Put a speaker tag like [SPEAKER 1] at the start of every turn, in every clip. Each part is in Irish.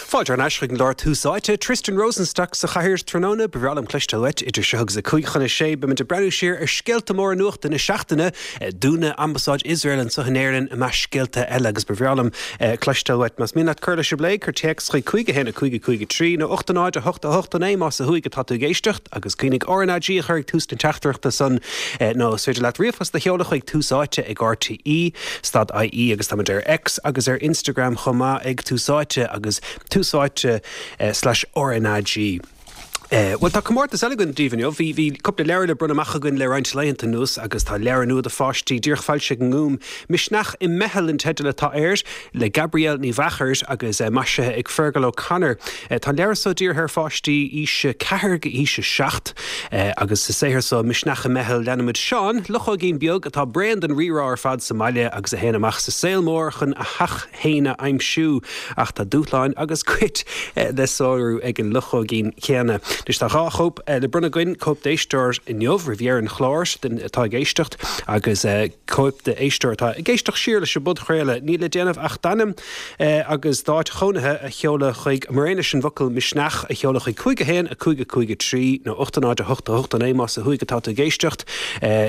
[SPEAKER 1] Fáilte thar n-ais chuig an gclár Tús Áite. Tristan Rosenstock sa chathaoir tráthnóna. Ba bhreá liom cloisteáil uait idir seo agus 5:55. Beimid ag breathnú siar ar scéalta móra nuachta na seachtaine, dúnadh Ambasáid Iosrael anseo in Éirinn i measc scéalta eile agus ba bhreá liom cloisteáil uait. Más mian leat cur leis an bplé, cuir téacs chuig 5 1 5 5 3 nó 8 0 8 8 9 más ó thuaidh atá tú ag éisteacht. Agus cuimhnigh RnaG a chur ag tús na teachtaireachta san nó is féidir leat ríomhphost a sheoladh chuig Tús Áite ag RTÉ stad IE agus táimid ar X agus ar Instagram chomh maith ag Tús Áite agus Tús Áite slash RnaG. Bhuel tá comórtas eile againn daoibh inniu. Bhí bhí cúpla leabhar le bronnadh amach againn le roinnt laethanta anuas agus tá leabhar nua do pháistí díreach foilsithe ag an nGúm, Misneach i Meitheal an teideal atá air. le Gabrielle Ní Mheachair agus maisithe ag Fergal O'Connor. Tá an leabhar so dírithe ar pháistí aois 4 go aois 7 agus sa saothar so, Misneach i Meitheal, leanaimid Seán, luchóigín beag atá bréan den rírá ar fad sa mbaile agus a théann amach sa saol mór chun a theach féin a aimsiú. Ach tá dúshláin agus goid le sárú ag an luchóigín céanna. Anois tá dhá chóip le bronnadh againn, cóip d'éisteoir inniu roimh dheireadh an chláir, duine atá ag éisteacht, agus. cóip d'éisteoir atá ag éisteacht siar leis an bpodchraoladh. Níl le déanamh ach d'ainm agus d'áit chónaithe a sheoladh chuig, mar aon leis an bhfocal 'Misneach' a sheoladh chuig 5 1 5 5 3 nó 8 0 8 8 9 más ó thuaidh atá tú ag éisteacht.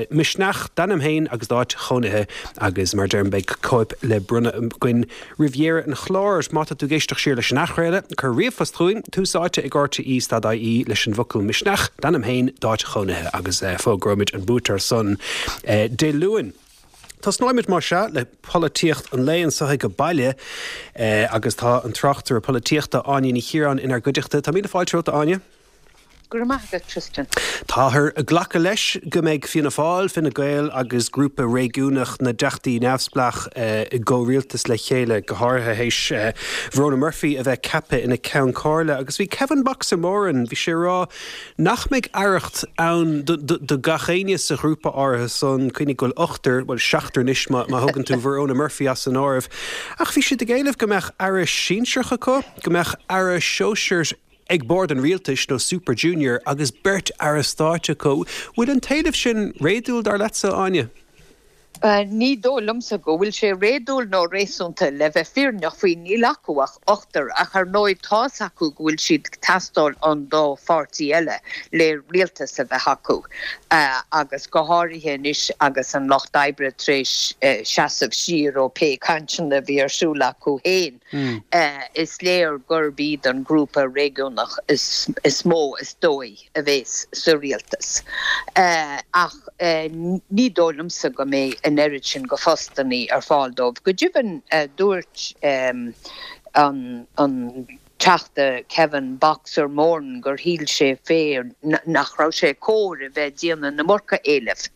[SPEAKER 1] Misneach, d'ainm féin agus d'áit chónaithe agus mar a deirim beidh cóip le bronnadh againn roimh dheireadh an chláir. Má tá tú ag éisteacht siar leis an athchraoladh, cuir ríomhphost chugainn, Tús Áite ag RTÉ stad IE leis an bhfocal Misneach, d'ainm féin, d'áit chónaithe agus fógróimid an buaiteoir san Dé Luain. Tosnóimid más ea le polaitíocht an lae anseo ag baile agus tá an tráchtaire polaitíochta Áine Ní Chiaráin inár gcuideachta. Tá míle fáilte romhat a Áine.
[SPEAKER 2] Go raibh maith agat, Tristan.
[SPEAKER 1] Táthar ag glacadh leis go mbeidh Fianna Fáil, Fine Gael agus grúpa réigiúnach na dTeachtaí Neamhspleách i gcomhrialtas le chéile, go háirithe théis Verona Murphy a bheith ceaptha ina Ceann Comhairle. Agus bhí Kevin Boxer Moran, bhí sé ag rá nach mbeidh aireacht ann do gach éinne sa ghrúpa áirithe san, cuimhnigh go bhfuil ochtar, bhuel seachtar anois má thógann tú Verona Murphy as an áireamh. Ach bhí siad ag éileamh go mbeadh aire sinsearach acu, go mbeadh aire sóisear, ag bord an rialtais nó super junior agus beirt aire stáit acu. Bhfuil an t-éileamh sin réadúil dar leatsa, Áine?
[SPEAKER 2] Ní dóigh liomsa go bhfuil sé réadúil nó réasúnta. Le bheith fírinneach faoi, níl acu ach ochtar, ach ar ndóigh tá's acu go bhfuil siad ag teastáil ón dá pháirtí eile le rialtas a bheith acu, agus go háirithe anois agus an Lucht Oibre tar éis seasamh siar ó pé cainteanna a bhí ar siúl acu féin. Is léir gurb iad an grúpa réigiúnach is mó is dóigh a bheas sa rialtas. Ach ní dóigh liomsa go mbeidh an oiread sin go phostannaí ar fáil dóibh. Go deimhin, dúirt an Teachta Kevin Boxer Moran gur shíl sé féin nach raibh sé cóir a bheith ag déanamh na iomarca éilimh.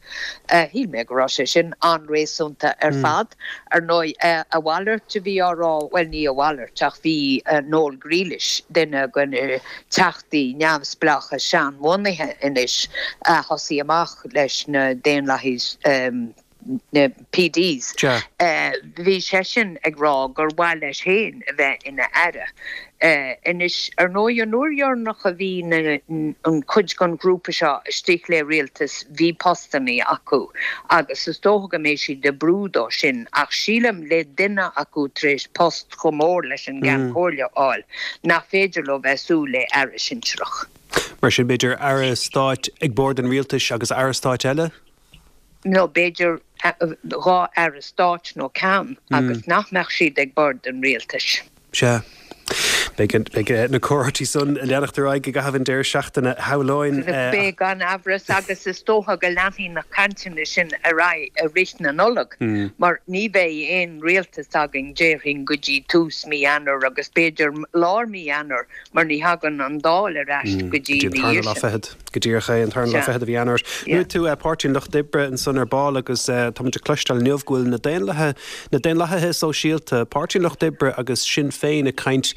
[SPEAKER 2] Shíl mé go raibh sé sin an-réasúnta ar fad. Ar ndóigh, a mhalairt a bhí á rá, bhuel, ní a mhalairt, ach bhí Noel Grealish, duine de na teachtaí neamhspleácha seanbhunaithe anois, a thosaigh amach leis na Daonlathaigh, na PDs, bhí seisean ag rá gur mhaith leis féin a bheith ina aire. Anois, ar ndóigh, an uair dheireanach a bhí an chuid den ghrúpa seo istigh le rialtas, bhí postannaí acu agus is dócha go mbeidh siad ag brú dó sin ach sílim le duine acu tar éis post chomh mór leis an gCeann Comhairle a fháil, nach féidir leo bheith ag súil le aire sinsearach.
[SPEAKER 1] Mar sin, b'fhéidir aire stáit ag bord an rialtais agus aire stáit eile?
[SPEAKER 2] nó b'fhéidir dhá aire stáit nó ceann agus nach mbeadh siad ag bord an rialtais.
[SPEAKER 1] Sea. Beidh na comhráití san ag leanacht ar aghaidh i gcaitheamh an deireadh seachtaine, shamhlóinn.
[SPEAKER 2] Beidh, gan amhras, agus is dócha go leanfaidh na cainteanna sin ar aghaidh i rith na Nollag, mar ní bheidh aon rialtas againn, déarfainn, go dtí tús mí Eanáir agus b'fhéidir lár mí Eanáir, mar ní thagann an Dáil ar ais go dtí
[SPEAKER 1] ina dhiaidh sin. Go díreach é, an tarna lá fichead de mhí Eanáir. Luaigh tú Páirtí an Lucht Oibre ansan ar ball agus táimid ag cloisteáil inniu go bhfuil na Daonlathaithe, na Daonlathaithe Sóisialta, Páirtí an Lucht Oibre agus Sinn Féin ag caint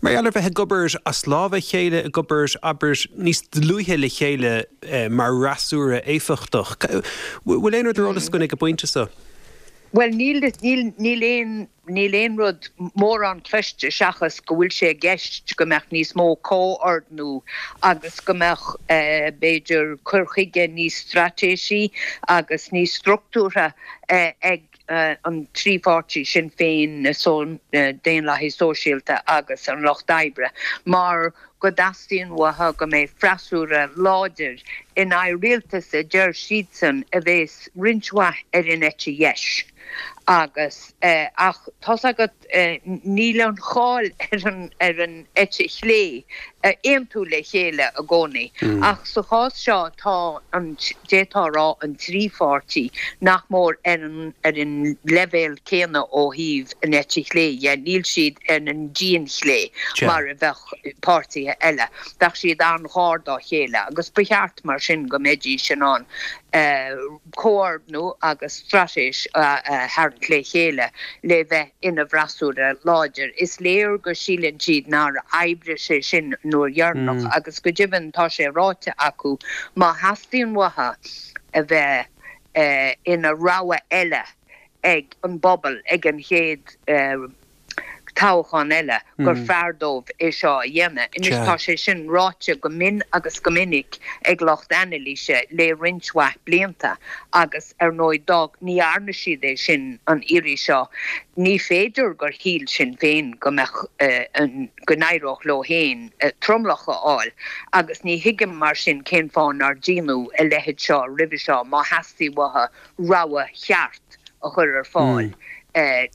[SPEAKER 1] mar gheall ar bheith ag obair as lámha a chéile, ag obair, abair, níos dlúithe le chéile mar fhreasúra éifeachtach. Bhfuil aon rud ar eolas againn ag an bpointe seo?
[SPEAKER 2] Bhuel, níl, níl, níl aon. Níl aon rud mórán cloiste seachas go bhfuil sé i gceist go mbeadh níos mó comhordnú agus go mbeadh, b'fhéidir, cur chuige níos straitéisí agus níos struchtúrtha ag. an trí pháirtí, Sinn Féin, na Daonlathaigh Sóisialta agus an Lucht Oibre, mar go dteastaíonn uathu go mbeidh freasúra láidir in aghaidh rialtas a deir siadsan a bheas roinnt mhaith ar an eite dheis agus ach tá's agat níl an cháil ar an ar an eite chlé a aontú le chéile i gcónaí ach sa chás seo tá an d'fhéadfá a rá an trí pháirtí nach mór ar an ar an leibhéal céanna ó thaobh an eite chlé dhe, níl siad ar an dianchlé mar a bheadh páirtithe eile. Bheadh siad an-ghar dá chéile agus ba cheart mar sin go mbeidís in ann comhordnú agus straitéis a tharraingt le chéile le bheith ina bhfreasúra láidir. Is léir go síleann siad nár oibrigh sé sin an uair dheireanach agus go deimhin tá sé ráite acu má theastaíonn uathu a bheith ina rogha eile ag an bpobal ag an chéad toghchán eile gur fearr dóibh é seo a dhéanamh. Anois tá sé sin ráite go mion agus go minic ag lucht anailíse le roinnt mhaith blianta agus ar ndóigh dá ní dhearna siad é sin an iarraidh seo ní féidir gur shíl Sinn Féin go mbeadh an go n-éireodh leo féin tromlach a fháil agus ní thuigim mar sin cén fáth nár déanadh a leithéid seo roimhe seo má theastaigh uathu rogha cheart a chur ar fáil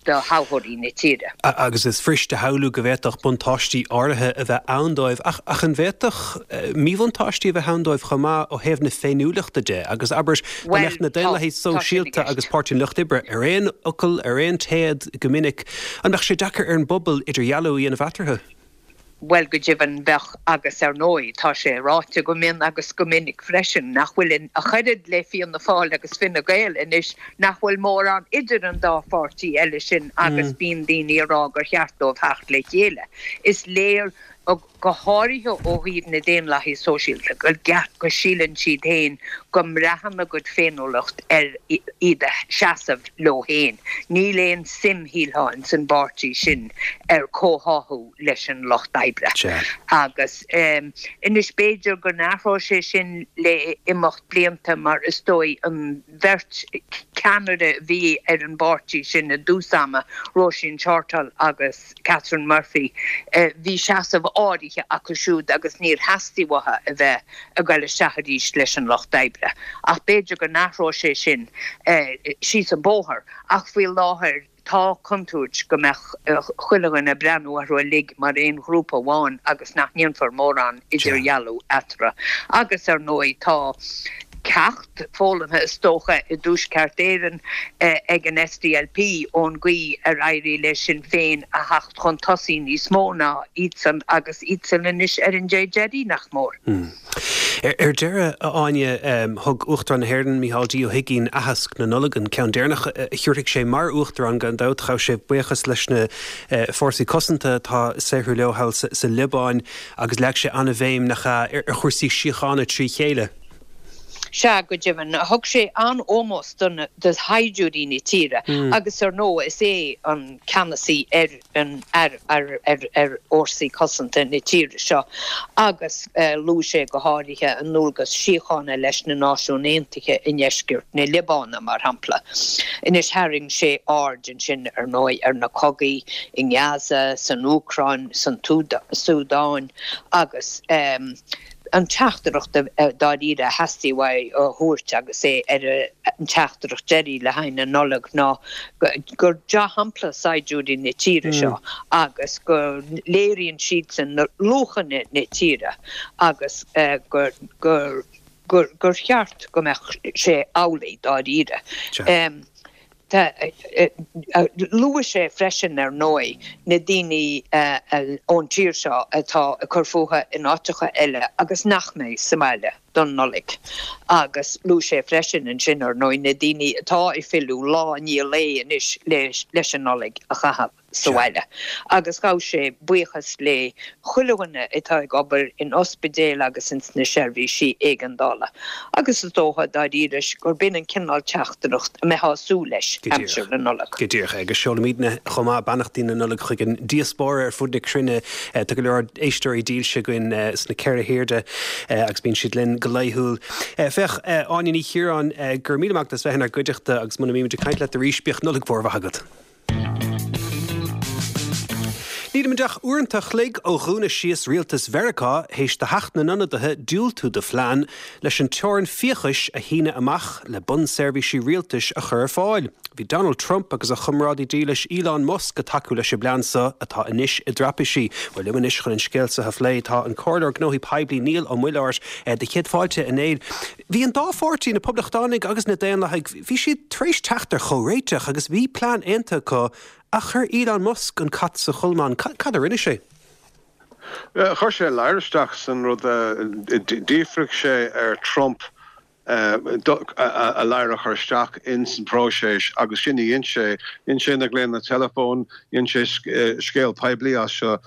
[SPEAKER 2] do thoghthóirí na tíre.
[SPEAKER 1] Agus is fuirist a shamhlú go bhféadfadh buntáistí áirithe a bheith ann dóibh, ach ach an bhféadfadh míbhuntáistí a bheith ann dóibh chomh maith ó thaobh na féiniúlachta de? Agus abair, dá mbeadh na Daonlathaigh Sóisialta agus Páirtí an Lucht Oibre ar aon fhocal, ar aon téad go minic, an mbeadh sé deacair ar an bpobal idirdhealú a dhéanamh eatarthu?
[SPEAKER 2] Bhuel, go deimhin, bheadh, agus ar ndóigh, tá sé ráite go mion agus go minic freisin, nach bhfuil in, ach oiread le Fianna Fáil agus Fine Gael anois, nach bhfuil mórán idir an dá pháirtí eile sin agus bíonn daoine ag rá gur cheart dóibh theacht le chéile. Is léir, go háirithe ó thaobh na Daonlathaithe Sóisialta, go, go síleann siad féin go mbraitheann a gcuid féiniúlacht ar iad a seasamh leo féin. Níl aon suim, shílfeá, ins an bpáirtí sin ar comhtháthú leis an Lucht Oibre. Agus anois b'fhéidir go n-athróidh sé sin le imeacht blianta mar is dóigh an bheirt ceannaire a bhí ar an bpáirtí sin i dtús ama, Róisín Shortall agus Catherine Murphy, bhí seasamh áirithe acu siúd agus níor theastaigh uathu a bheith ag dul isteach arís leis an Lucht Oibre. Ach b'fhéidir go n-athróidh sé sin síos an bóthar. Ach faoi láthair. Tá contúirt go mbeadh chuile dhuine ag breathnú orthu uilig mar aon ghrúpa amháin agus nach ndéanfar mórán idirdhealú eatarthu. Agus, ar ndóigh, tá ceacht foghlamtha is dócha i dTuaisceart Éireann ag an SDLP ón gcaoi ar éirigh le Sinn Féin a theacht chun tosaigh níos mó ná iadsan agus iadsan anois ar an dé deiridh, nach mór.
[SPEAKER 1] Ar deireadh, a Áine, thug Uachtarán na hÉireann, Micheál D. Ó hUigínn, aitheasc na Nollag, an ceann deireanach a thabharfaidh sé mar Uachtarán gan dabht. Ghabh sé buíochas leis na fórsaí cosanta atá ag saothrú leo thall sa Liobáin agus leag sé an-bhéim, nach ea, ar chúrsaí síochána trí chéile.
[SPEAKER 2] Sea, go deimhin. Thug sé an-ómós do shaighdiúirí na tíre agus, ar ndóigh, is é an ceannasaí ar an ar ar fhórsaí cosanta na tíre seo agus luaigh sé go háirithe a ndualgas síochána leis na Náisiúin Aontaithe i ndeisceart na Liobáine, mar shampla. Anois tharraing sé aird ansin, ar ndóigh, ar na cogaí i nGaza, san Úcráin, san tSúdáin agus an teachtaireacht dáiríre a theastaigh uaidh a thabhairt agus é ar an teachtaireacht deiridh le haghaidh na Nollag ná gur dea-shampla saighdiúirí na tíre seo agus go léiríonn siadsan na luachanna na tíre agus gur gur gur gur cheart go mbeadh sé amhlaidh dáiríre. Luaigh sé freisin, ar ndóigh, na daoine ón tír seo atá ag cur fúthu in áiteacha eile agus nach mbeidh sa mbaile don Nollaig. Agus luaigh sé freisin ansin, ar ndóigh, na daoine atá ag filleadh lá i ndiaidh lae anois leis an Nollaig a chaitheamh. sa bhaile agus ghabh sé buíochas le chuile dhuine atá ag obair in ospidéil agus ins na seirbhísí éigeandála agus is dócha dáiríre gurb in an cineál teachtaireacht a mbeifeá ag súil leis aimsir na Nollag.
[SPEAKER 1] Go díreach. Agus seolaimidne chomh maith beannachtaí na Nollag chuig an diaspóra ar fud na cruinne. Tá go leor éisteoirí dílse againn sna ceithre hairde agus bíonn siad linn. go laethúil. Féach, Áine Ní Chiaráin, go raibh míle maith agat as bheith inár gcuideachta agus muna mbímid ag caint leat arís, bíodh Nollaig mhór mhaith agat. Nílimid ach uaireanta a chloig ó dhúnadh síos rialtas Mheiriceá théis do Theach na nIonadaithe diúltú do phlean leis an teorainn fiachais a shíneadh amach le bunseirbhísí rialtais a chur ar fáil. Bhí Donald Trump agus a chomrádaí dílis Elon Musk ag tacú leis an bplean so atá anois i dtraipisí. Bhuel, liom anois chun an scéal so a phlé tá an Comhairleoir Gnóthaí Poiblí Niall Ó Muilleoir. Do chéad fáilte, a Néill. Bhí an dá pháirtí, na Poblachtánaigh agus na Daonlathaigh, bhí siad tar éis teacht ar chomhréiteach agus bhí plean aontaithe acu ach chuir Elon Musk an cat sa cholmán. Cad a rinne sé?
[SPEAKER 3] Chuir sé a ladhar isteach san rud. D'fhiafraigh sé ar Trump a ladhar a chur isteach ins an próiseas agus sin a dhein sé. Dhein sé na glaonna teileafóin, dhein sé scéal poiblí as seo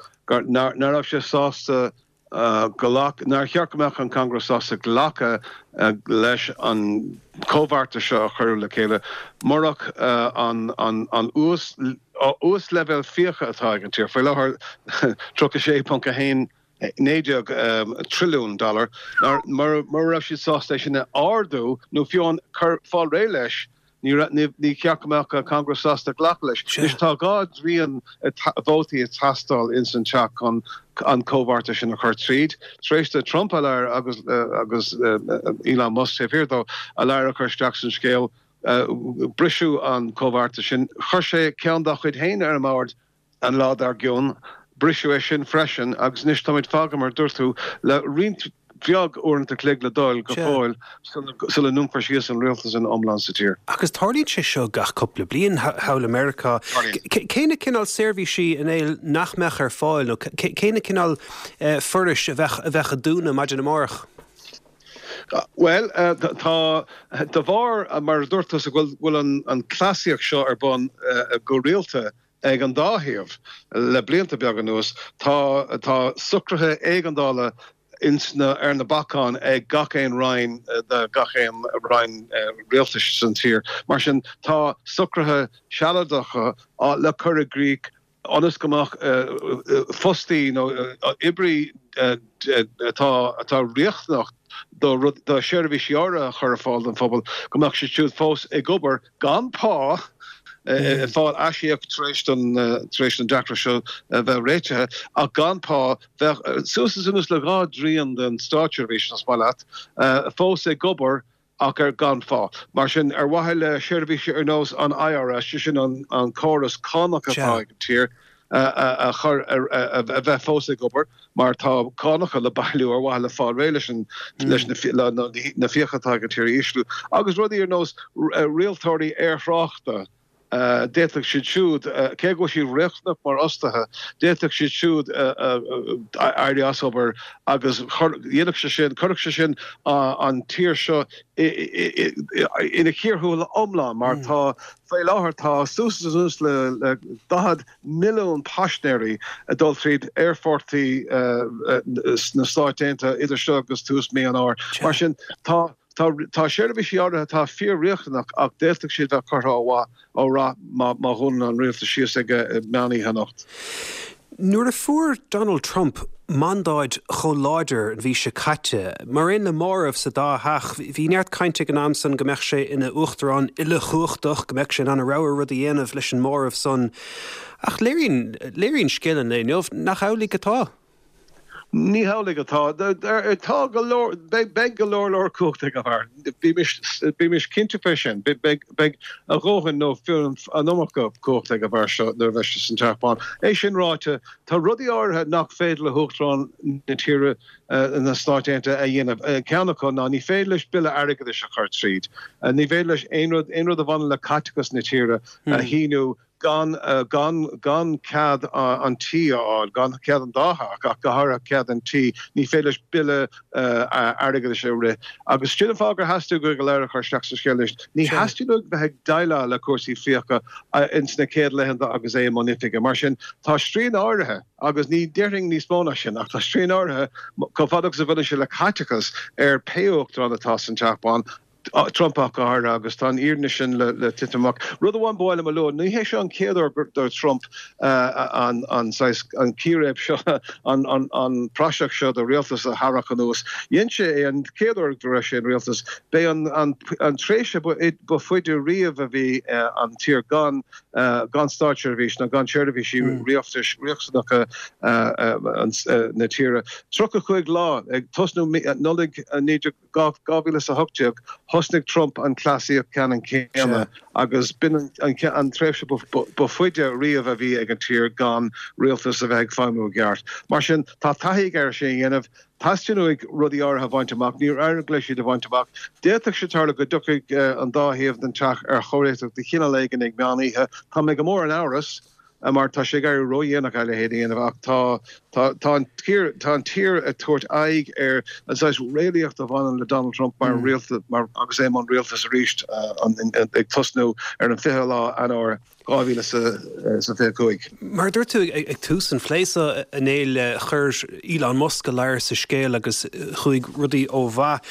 [SPEAKER 3] nach raibh sé sásta ghlac, nár cheart go mbeadh an Congress sásta glacadh leis an chomhbheartas seo a cuireadh le chéile murach an uasleibhéal fiacha atá ag an tír faoi láthair, 36.19 trilliún dollar, mura raibh siad sásta é sin a ardú nó fiú amháin cur fáil réidh leis. Ní cheart go mbeadh Congress sásta glacadh leis. Anois tá dhá dtrian vótaí ag teastáil ins an teach chun an comhbheartas sin a chur tríd. Tar éis do Trump a ladhar agus agus Elon Musk taobh thiar dó a ladhar a chur isteach san scéal, briseadh an comhbheartas sin. Chuir sé ceann dá chuid féin ar an mbord. An lá dár gcionn, briseadh é sin freisin agus anois táimid fágtha, mar a dúirt tú, le roinnt bheag uaireanta chloig le dul go fóill sula ndúnfar síos an rialtas ina iomlán sa tír.
[SPEAKER 1] Agus tarlaíonn sé seo gach cúpla bliain thall i Meiriceá. Cé na cineál seirbhísí, a Néill, nach mbeadh ar fáil nó cé na cineál forais a bheadh a bheadh ag dúnadh maidin amárach?
[SPEAKER 3] Bhuel, tá, de bharr, mar a dúirt tusa, go bhfuil an cleasaíocht seo ar bun go rialta ag an dá thaobh le blianta beaga anuas, tá, tá socruithe éigeandála ins na, ar na bacáin ag gach aon roinn de gach aon roinn rialtais san tír. Mar sin, tá socruithe sealadacha le cur i gcrích ionas go mbeadh fostaí nó oibrí atá atá riachtanach do rud do sheirbhísí áirithe a chur ar fáil don phobal, go mbeadh siad siúd fós ag obair gan pá, ag fáil aisíoc tar éis don tar éis don deacracht seo a bheith réitithe, ach gan pá. Bheadh suas is anuas le dhá dtrian den státseirbhís, más maith leat, fós ag obair ach ar gan phá. Mar sin, ar mhaithe le seirbhísí ar nós an IRS, sé sin an córas cánach atá ag an tír, a chur a bheith fós ag obair, mar tá cánacha le bailiú ar mhaithe le fáil réidh leis an leis na fiacha atá ag an tír a ísliú, agus rudaí ar nós rialtóirí aerthráchta. D'fhéadfadh siad siúd, cé go bhfuil siad riachtanach mar fhostaithe, d'fhéadfadh siad siúd éirí as obair agus dhéanfadh sé sin, chuirfeadh sé sin an tír seo ina chíor thuathail iomlán mar tá, faoi láthair tá suas is anuas le 40 milliún paisinéirí ag dul tríd aerfortaí sna Stáit Aontaithe idir seo agus tús mí an Fhómhair. Mar sin tá. Tá tá seirbhísí áirithe atá fíor-riachtanach ach d'fhéadfadh siad bheith curtha ó mhaith, ó rath má má dhúnann an rialtas síos ag meán oíche anocht.
[SPEAKER 1] Nuair a fuair Donald Trump mandáid chomh láidir an mhí seo caite, mar aon le móramh sa dá theach, bhí neart cainte ag an am san go mbeadh sé ina uachtarán uilechumhachtach, go mbeadh sé in ann a rogha rud a dhéanamh leis an móramh san. Ach léiríonn léiríonn scéal an lae inniu nach amhlaidh atá.
[SPEAKER 3] Ní hamhlaidh atá. Tá go leor, beidh go leor leor cumhacht ag an bhfear. Bímis, bímis cinnte fé sin. Beidh, beidh a dhóthain nó fiú an iomarca cumhacht ag an bhfear seo nuair a bheidh sé san Teach Bán. É sin ráite, tá rudaí áirithe nach féidir le hUachtarán na tíre, na Stáit Aontaithe a dhéanamh. Ceann acu ná ní féidir leis bille airgeadais a chur tríd. Ní féidir leis aon rud, aon rud a bhaineann le caiteachas na tíre a shíniú. gan, gan, gan cead an tí a fháil, gan cead an dá theach, ach go háirithe cead an tí, ní féidir leis bille airgeadais a rith. Agus sin an fáth gur theastaigh uaidh a ladhar a chur isteach sa scéal anois. Ní theastaíonn uaidh bheith ag déileáil le cúrsaí fiacha ins na chéad laethanta agus é i mbun oifige. Mar sin, tá srian áirithe, agus ní déarfainn níos mó ná sin, ach tá srian áirithe, chomh fada agus a bhaineann sé le caiteachas, ar pé uachtarán atá san Teach Bán. Trump ach go háirithe, agus tá an fhírinne sin le titim amach. Rud amháin ba mhaith liom a lua, ní hé seo an chéad uair do Trump an saghas, an círéib seo, an praiseach seo de rialtas a tharrac anuas. Dhein sé é an chéad uair go raibh sé in rialtas. B'é an tréimhse ba faide riamh a bhí an tír gan gan státseirbhís ná gan seirbhísí rialtais riachtanacha na tíre. 35 lá ag tosnú Nollaig 2018, thosnaigh Trump an cleasaíocht ceannann céanna agus b'in an tréimhse ba faide riamh a bhí ag an tír gan rialtas a bheith ag feidhmiú i gceart. Mar sin, tá taithí aige ar sin a dhéanamh. Teastaíonn uaidh rudaí áirithe a bhaint amach, níor éirigh leis iad a bhaint amach. D'fhéadfadh sé tarlú go dtiocfaidh an dá thaobh den teach ar chomhréiteach de chineál éigin ag meán oíche. Tá mé go mór in amhras mar tá sé ag éirí ródhéanach a leithéid a dhéanamh ach tá tá an tír tá an tír ag tabhairt aghaidh ar an saghas réalaíocht a bhaineann le Donald Trump mar rialtas mar agus é i mbun rialtais arís ag tosnú ar an 20 lá Eanáir 2025.
[SPEAKER 1] Mar a dúirt tú ag tús an phlé seo, a Néill, chuir Elon Musk a ladhar sa scéal agus chuaigh rudaí ó mhaith.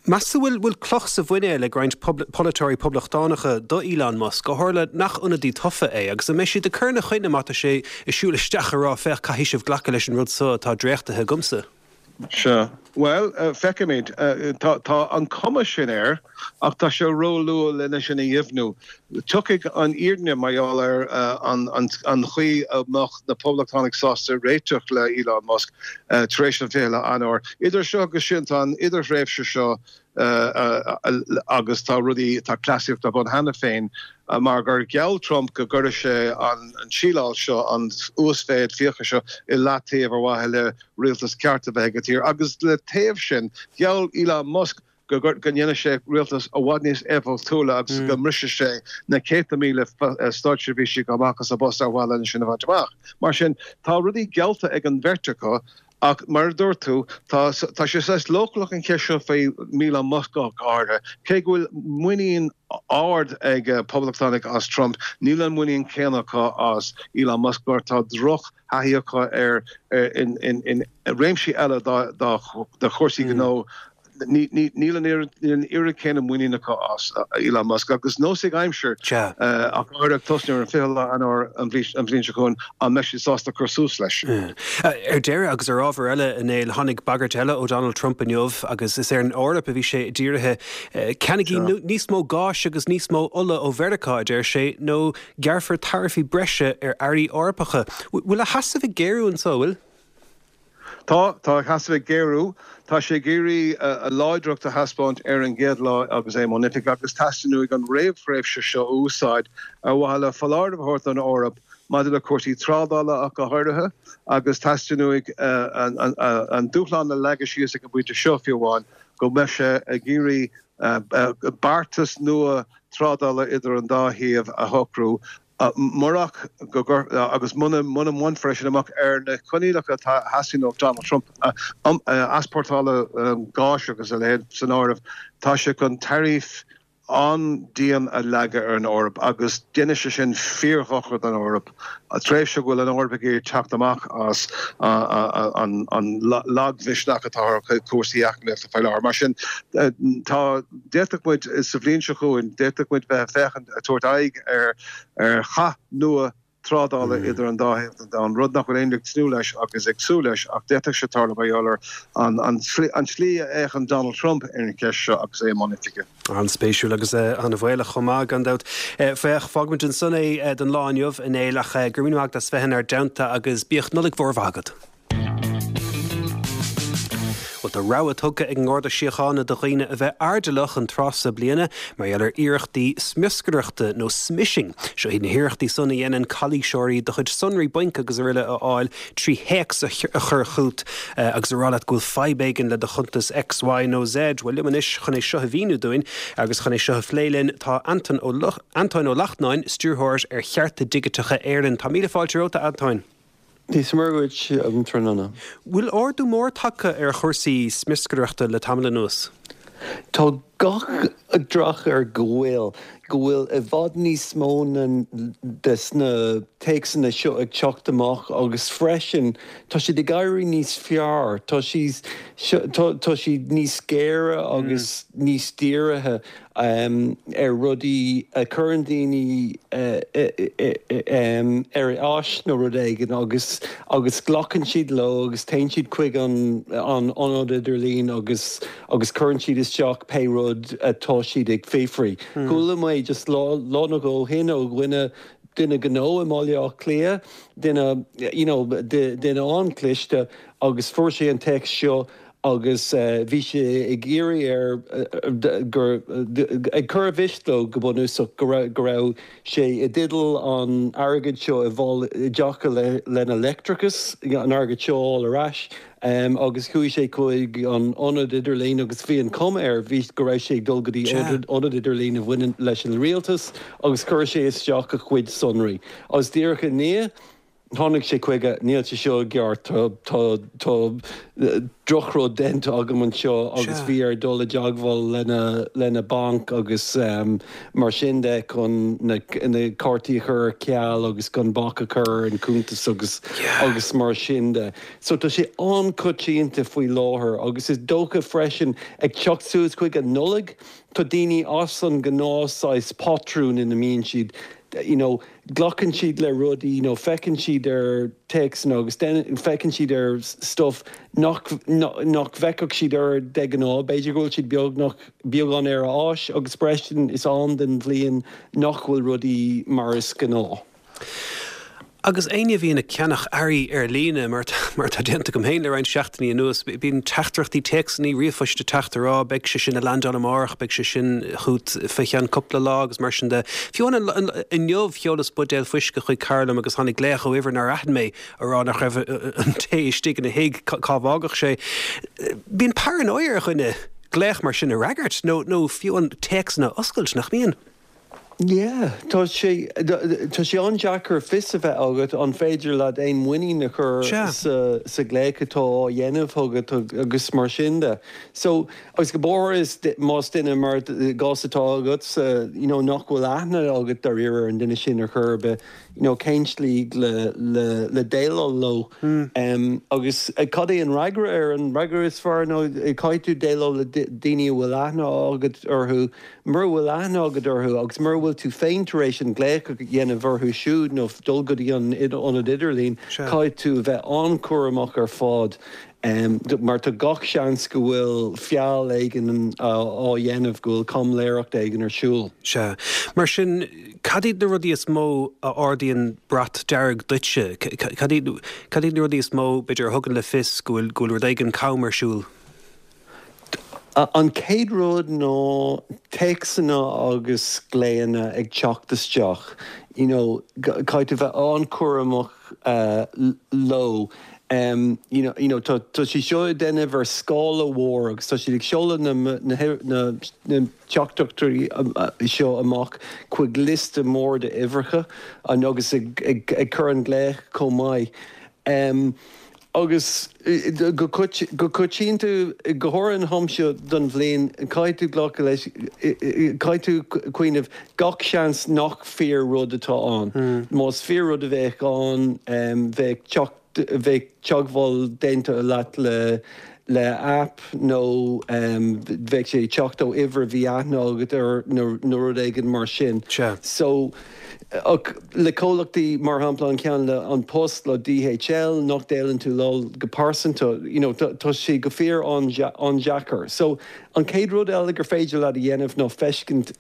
[SPEAKER 1] Meas tú bhfuil bhfuil cloch sa mhuinéal ag roinnt polaiteoirí poblachtánacha do Elon Musk, ó tharla nach ionadaí tofa é, agus an mbeidh siad ag cur ina choinne má tá sé ag siúl isteach ag rá féach caithfidh sibh glacadh leis an rud seo atá dréachtaithe agamsa?
[SPEAKER 3] Sea. Bhuel, feicfimid. Tá an cuma sin air, ach tá sé róluath lena sin a dheimhniú. Tiocfaidh an fhírinne mar gheall ar an chaoi a mbeadh na Poblachtánaigh sásta réiteach le Elon Musk tar éis an 20 lá Eanáir. Idir seo agus sin, tá an idirthréimhse seo agus tá rudaí, tá cleasaíocht ar bun cheana féin mar gur gheall Trump go gcuirfeadh sé an tsíleáil seo, an uasmhéid fiacha seo i leataobh ar mhaithe le rialtas ceart a bheith ag an tír. Agus le taobh sin, gheall Elon Musk go go ndéanfadh sé rialtas i bhfad níos éifeachtúla agus go mbrisfeadh sé na céadta míle státseirbhísigh amach as a bpost ar mhaithe lena sin a bhaint amach. Mar sin, tá rudaí geallta ag an bheirt acu ach mar a dúirt tú, tá tá sé saghas leochaileach an cheist seo faoi Elon Musk go háirithe. Cé go bhfuil muinín ard ag poblachtánaigh as Trump, níl an muinín céanna acu as Elon Musk mar tá droch thaithí acu air in réimsí eile de chúrsaí gnó. Níl an oiread céanna muinín acu as Elon Musk agus nós ag aimsir, ach go háirithe ag tosnú ar an 20 lá Eanáir an bhliain seo chugainn, an mbeidh siad sásta cur suas leis.
[SPEAKER 1] Ar deireadh, agus ar ábhar eile, a Néill, tháinig bagairt eile ó Donald Trump inniu agus is ar an Eoraip a bhí sé dírithe. Ceannaigí níos mó gáis agus níos mó ola ó Mheiriceá, a deir sé, nó Gearrfar taraifí breise ar earraí Eorpacha. Bhfuil a sheasamh ag géarú anseo, bhfuil?
[SPEAKER 3] Tá, tá a sheasamh ag géarú. Tá sé ag iarraidh a láidreacht a thaispeáint ar an gcéad lá agus é i mbun oifige agus teastaíonn uaidh an réamhthréimhse seo a úsáid ar mhaithe le foláireamh a thabhairt don Eoraip maidir le cúrsaí trádála ach go háirithe agus teastaíonn uaidh an dúshlán a leagadh síos ag an bpointe seo fiú amháin go mbeidh sé ag iarraidh beartas nua trádála idir an dá thaobh a shocrú murach go agus muna mbainfear é sin amach ar na coinníollacha atá a theastaíonn ó Donald Trump, easpórtála gáis agus a leithéid san áireamh, tá sé chun taraif an-dian a leagadh ar an Eoraip agus déanfaidh sé sin fíordhochar don Eoraip. Tréimhse go bhfuil an Eoraip ag iarraidh teacht amach as an lagmhisneach atá ar chúrsaí eacnamaíochta faoi láthair. Mar sin, tá, d'fhéadfadh muid, sa bhliain seo chugainn, d'fhéadfadh muid bheith ag féachaint, ag tabhairt aghaidh ar ar chath nua trádála idir an dá thaobh den domhan, rud nach bhfuil éinne ag tnúth leis agus ag súil leis ach d'fhéadfadh sé tarlú mar gheall ar an tslí a fhéachann Donald Trump ar an cheist seo agus é i mbun oifige.
[SPEAKER 1] An-spéisiúil agus an-bhaolach chomh maith, gan dabht. Féach, fágfaimid ansan é don lá inniu, a Néill, ach go raibh míle maith agat as bheith inár dteannta agus bíodh Nollaig mhór mhaith agat. Bhuel, tá rabhadh tugtha ag an nGarda Síochána do dhaoine a bheith airdeallach an tráth seo bliana mar gheall ar iarrachtaí smioscaireachta nó smishing. Seo iad na hiarrachtaí san a dhéanann calaoiseoirí do chuid sonraí bainc agus araile a fháil trí théacs a chur chugat agus a rá leat go bhfuil fadhb éigin le do chuntas X, Y nó Z. Bhuel, liom anois chun é seo a mhíniú dúinn agus chun é seo a phlé linn tá Antain Ó Antóin Ó Lachtnáin, Stiúrthóir ar Chearta Digiteacha Éireann. Tá míle fáilte romhat, a Antóin.
[SPEAKER 4] Dia is Muire dhuit um tráthnóna.
[SPEAKER 1] Bhfuil ardú mór tagtha ar chúrsaí smioscaireachta le tamall anuas?
[SPEAKER 4] Tá. Gach dreach air go bhfuil, go bhfuil i bhfad níos mó na, des na téacsanna seo ag teacht amach agus freisin tá siad ag éirí níos fearr, tá siad, tá siad níos géire agus níos dírithe. ar rudaí a chuireann daoine ar a áis nó rud éigin agus agus glacann siad leo agus téann siad chuig an an ionad idirlín agus agus cuireann siad isteach pé rud atá siad ag fiafraí. Chuala mé just lá lá nó dhó ó shin ó dhuine duine gnó i mBaile Átha Cliath, duine you know duine an-chliste agus fuair sé an téacs seo agus bhí sé ag iarraidh air gur, ag cur i bhfios dó go bunúsach go raibh, go raibh sé i dteideal an airgid seo i bhfáil i dtaca le, lena leictreachas, an airgead seo a fháil ar ais agus chuaigh sé chuig an ionad idirlín agus bhí an chuma air, bhí, go raibh sé ag dul go dtí ionad idirlín a bhaineann leis an rialtas agus chuir sé isteach a chuid sonraí agus díreach i ndiaidh Tháinig sé chuige, níl sé seo i gceart, tá, tá, tá drochrud déanta agam anseo agus bhí air dul i dteagmháil lena, lena banc agus mar sin de chun na, na cártaí a chur ar ceal agus chun bac a chur ar an chuntas agus, agus mar sin de. So tá sé an-choitianta faoi láthair agus is dócha freisin ag teacht suas chuig an Nollaig, tá daoine as an ngnáth saghas patrún ina mbíonn siad, you know, glacann siad le rudaí nó feiceann siad ar téacsanna agus feiceann siad ar stuff nach nach bhfeicfeadh siad air de ghnáth. B'fhéidir go bhfuil siad beagnach beagán ar a áis agus freisin is am den bhliain nach bhfuil rudaí mar is gnáth.
[SPEAKER 1] Agus éinne a bhíonn ag ceannach earraí ar líne, mar mar atá déanta agam féin le roinnt seachtainí anuas, bíonn teachtaireachtaí, téacsanna, ríomhphoist ag teacht ag rá beidh sé sin ag landáil amárach, beidh sé sin chugat fé cheann cúpla lá agus mar sin de. Fiú amháin inniu sheolas buidéal fuisce chuig cara liom agus tháinig glaoch ó uimhir nár aithin mé ag rá nach raibh an tae istigh ina thigh, cá bhfágadh sé. Bíonn paranoia ar dhuine glaoch mar sin a fhreagairt nó nó fiú an téacsanna a oscailt, nach mbíonn?
[SPEAKER 4] Yeah, tá sé, tá sé an-deacair fios a bheith agat an féidir leat aon muinín a chur sa, sa ghlaoch atá á dhéanamh chugat agus mar sin de. So, agus go háirithe más duine mar i gcás atá agatsa, you know, nach bhfuil aithne agat dáiríre ar an duine sin ar chor ar bith, you know, cén tslí le, le, le déileáil leo. Agus cad é an fhreagra air? An fhreagra is fearr ná caithfidh tú déileáil le daoine a bhfuil aithne agat orthu, Mura bhfuil aithne agat orthu agus mura bhfuil tú féin tar éis an glaoch a dhéanamh orthu siúd nó dul go dtí an ionad idirlín, caithfidh tú a bheith an-chúramach ar fad mar tá gach seans go bhfuil feall éigin á dhéanamh, go bhfuil caimiléireacht éigin ar siúl.
[SPEAKER 1] Sea. Mar sin, cad iad na rudaí is mó a ardaíonn brat dearg duitse? Cad iad na rudaí is mó, b'fhéidir, a thugann le fios go bhfuil rud éigin cam ar siúl?
[SPEAKER 4] An chéad rud ná téacsanna agus glaonna ag teacht isteach, you know, caithfidh tú bheith an-chúramach leo. You know, you know, tá tá siad seo ag déanamh ar scála mhór agus tá siad ag seoladh na na na na teachtaireachtaí seo amach chuig liosta mór d'uimhreacha agus ag ag ag cur an glaoch chomh maith. Agus go coitianta, go háirithe an t-am seo den bhliain, caithfidh tú glacadh leis, caithfidh tú cuimhneamh, gach seans nach fíor rud atá ann. Más fíor rud a bheadh ann, bheadh teacht, bheadh teagmháil déanta leat le le aip nó bheadh sé ag teacht ó uimhir a bhí aithne agat air nó rud éigin mar sin. So. Ach le comhlachtaí, mar shampla an ceann le An Post, le DHL, nach déileann tú leo go pearsanta, you know, tá sé go fíor an-deacair. So, an chéad rud eile gur féidir leat a dhéanamh ná feiscint,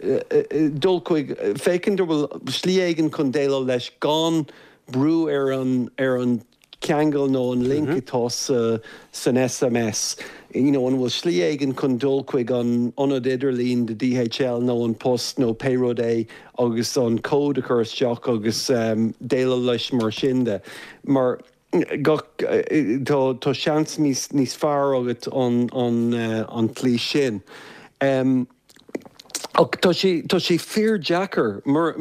[SPEAKER 4] dul chuig, féachaint an bhfuil slí éigin chun déileáil leis gan brú ar an, ar an, ceangal nó an link atá sa san SMS. You know, an bhfuil slí éigin chun dul chuig an ionad idirlín de DHL nó An Post nó pé rud é agus an cód a chur isteach agus déileáil leis mar sin de. Mar gach, tá tá seans níos níos fearr agat an an an tslí sin. Ach tá sé, tá sé fíor-deacair mar,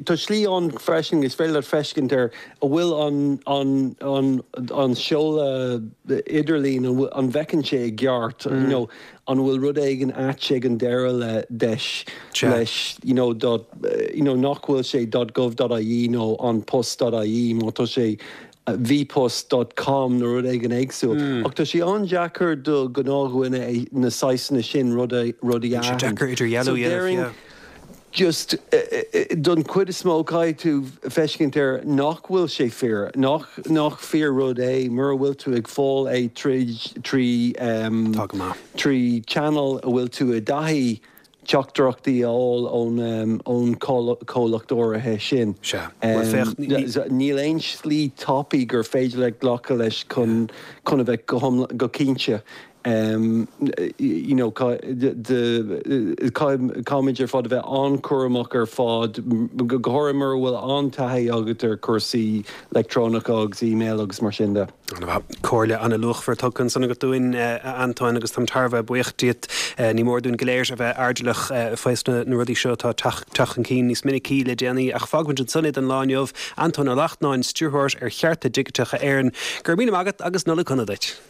[SPEAKER 4] tá slí ann freisin is féidir leat feiscint ar an bhfuil an, an, an, an seoladh idirlín, an bhfuil, an bhfeiceann sé i gceart, you know, an bhfuil rud éigin ait ag an deireadh le deis, leis, you know, dot, you know, nach bhfuil sé dot gov dot ie nó an post dot ie má tá sé bpost dot com nó rud éigin éagsúil. Ach tá sé an-deacair do ghnáthdhuine é na saghsanna sin rudaí a
[SPEAKER 1] aithint. Deacair idirdhealú
[SPEAKER 4] a
[SPEAKER 1] dhéanamh, yeah.
[SPEAKER 4] Just don chuid is mó caithfidh tú feiscint air nach bhfuil sé fíor, nach nach fíor rud é mura bhfuil tú ag fáil é tríd trí
[SPEAKER 1] Tá go maith.
[SPEAKER 4] trí channel a bhfuil tú i dtaithí teachtaireachtaí a fháil ón chomhlacht áirithe sin.
[SPEAKER 1] Sea. Bhuel, féach, ní.
[SPEAKER 4] Níl aon slí tapaidh gur féidir leat glacadh leis chun chun a bheith go hiomlán, go cinnte. You know, caithfimid ar fad a bheith an-chúramach ar fad, go háirithe mura bhfuil an-taithí agat ar chúrsaí leictreonacha agus email agus mar sin de.
[SPEAKER 1] An-mhaith. Comhairle an-luachmhar tugtha ansan agat dúinn, a Antoine, agus táim thar a bheith buíoch díot. Ní mór dúinn go léir a bheith airdeallach faoi na rudaí seo atá ag teacht chun cinn níos minicí le déanaí. Ach fágfaimid ansan é don lá inniu. Antoine Ó Lachtnáin, Stiúrthóir ar Chearta Digiteacha Éireann, go raibh míle maith agat agus Nollaig Shona duit.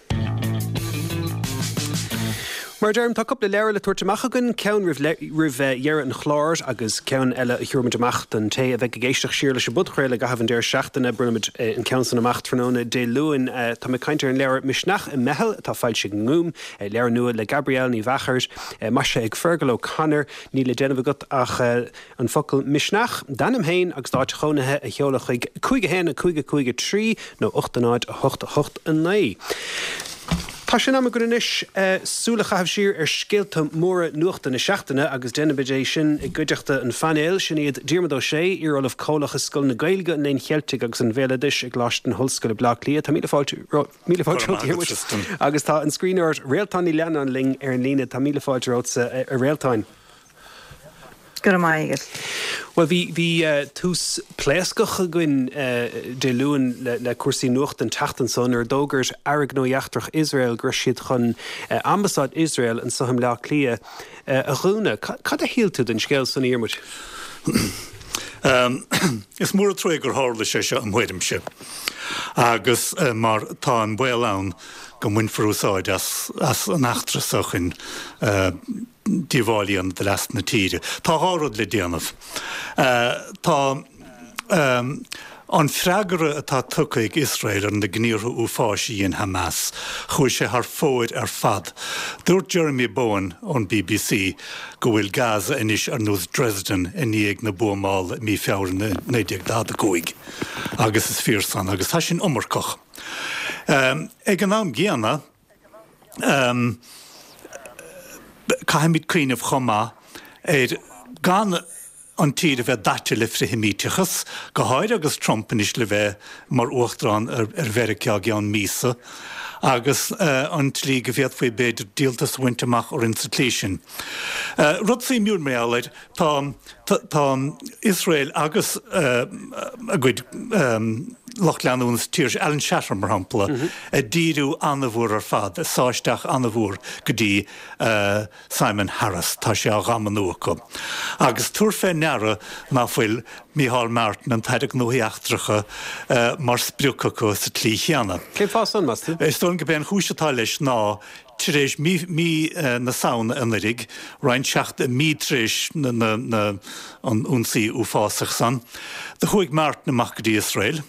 [SPEAKER 1] Mar a deirim, tá cúpla leabhar le tabhairt amach againn, ceann roimh roimh dheireadh an chláir agus ceann eile a thabharfaimid amach don té a bheidh ag éisteacht siar leis an bpodchraoladh i gcaitheamh an deireadh seachtaine. Bronnfaimid an ceann san amach tráthnóna Dé Luain. Tá mé ag caint ar an leabhar Misneach i Meitheal atá foilsithe ag an nGúm, leabhar nua le Gabrielle Ní Mheachair, maisithe ag Fergal O'Connor. Níl le déanamh agat ach. An focal Misneach, d'ainm féin agus d'áit chónaithe a sheoladh chuig 5 1 5 5 3 nó 8 0 8 8 9. Tá sé in am againn anois súil a chaitheamh siar ar scéalta móra nuachta na seachtaine agus déanfaimid é sin i gcuideachta an phainéil. Sin iad Diarmuid Ó Sé, iar-Ollamh Comhlach i Scoil na Gaeilge, an Léinn Cheiltigh agus an Bhéaloidis i gColáiste na hOllscoile Bleá Cliath. Tá míle fáilte míle fáilte romhat, Diarmuid. Agus tá an scríbhneoir Réaltán Ní Leannáin linn ar an líne. Tá míle fáilte romhatsa, a Réaltáin.
[SPEAKER 5] Go raibh maith agat.
[SPEAKER 1] Bhuel, bhí, bhí tús pléascach againn Dé Luain le, le cúrsaí nuachta an tseachtain seo nuair a d'fhógair Aire Gnóthaí Eachtrach Iosrael go raibh siad chun Ambasáid Iosrael anseo i mBleá Cliath a dhúnadh. Cad a shíl tú den scéal san, a Dhiarmuid?
[SPEAKER 6] Is mór an trua gur tharla sé seo im thuairimse agus mar tá an baol ann go mbainfear úsáid as, as an eachtra seo chun díobháil a dhéanamh do leas na tíre. Tá dhá rud le déanamh. Tá an freagra atá tugtha ag Iosrael ar na gníomhartha uafáis a dhein Hamas, chuaigh sé thar fóir ar fad. Dúirt Jeremy Bowen ón bbc go bhfuil Gaza anois ar nós Dresden i ndiaidh na buamála i mí Feabhra 1945 agus is fíor san agus tá sin iomarcach. Ag an am gcéanna, Caithfimid cuimhneamh chomh maith ar gan an tír a bheith daite le frithsheimíteachas, go háirithe agus Trump anois le bheith mar uachtarán ar Mheiriceá i gceann míosa, agus an tslí go bhféadfaí b'fhéidir díoltas a bhaint amach orainn sa tslí sin. Rud suimiúil mar gheall air, tá tá Iosrael agus a gcuid lucht leanúna sa tír, Alan Shatter mar shampla, ag díriú an-mhór ar fad, ag sá isteach an-mhór go dtí Simon Harris. Tá sé á ghamannú acu. Agus tabhair fé ndeara ná fuil Micheál Martin, an tAire Gnóthaí Eachtracha, mar sprioc acu sa tslí chéanna.
[SPEAKER 1] Cén fáth san, meas tú?
[SPEAKER 6] Is dóigh liom gurb é an chúis atá leis ná Tar éis mí na Samhna anuraidh, roinnt seacht mí tar éis an ionsaí uafásach san, do chuaigh Martin amach go dtí Iosrael.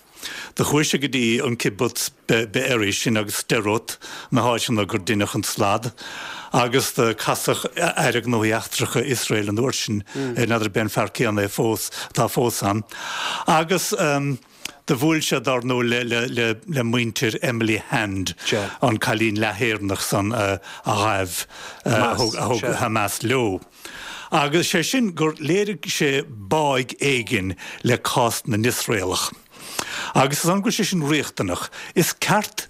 [SPEAKER 6] Do chuaigh sé go dtí an kibbutz Be'eri sin agus Sderot, na háiteanna gur deineadh an slad, agus do casadh Aire Gnóthaí Eachtracha Iosrael an uair sin, n'fheadar ab é an fear céanna é fós, atá fós ann, agus. Do bhuail sé, dár ndóigh, le muintir Emily Hand, an cailín leath-Éireannach san a ghabh, a thug Hamas leo. Agus sé sin gur léirigh sé báidh éigin le cás na nIosraelach. Agus is ann go bhfuil sé sin riachtanach. Is ceart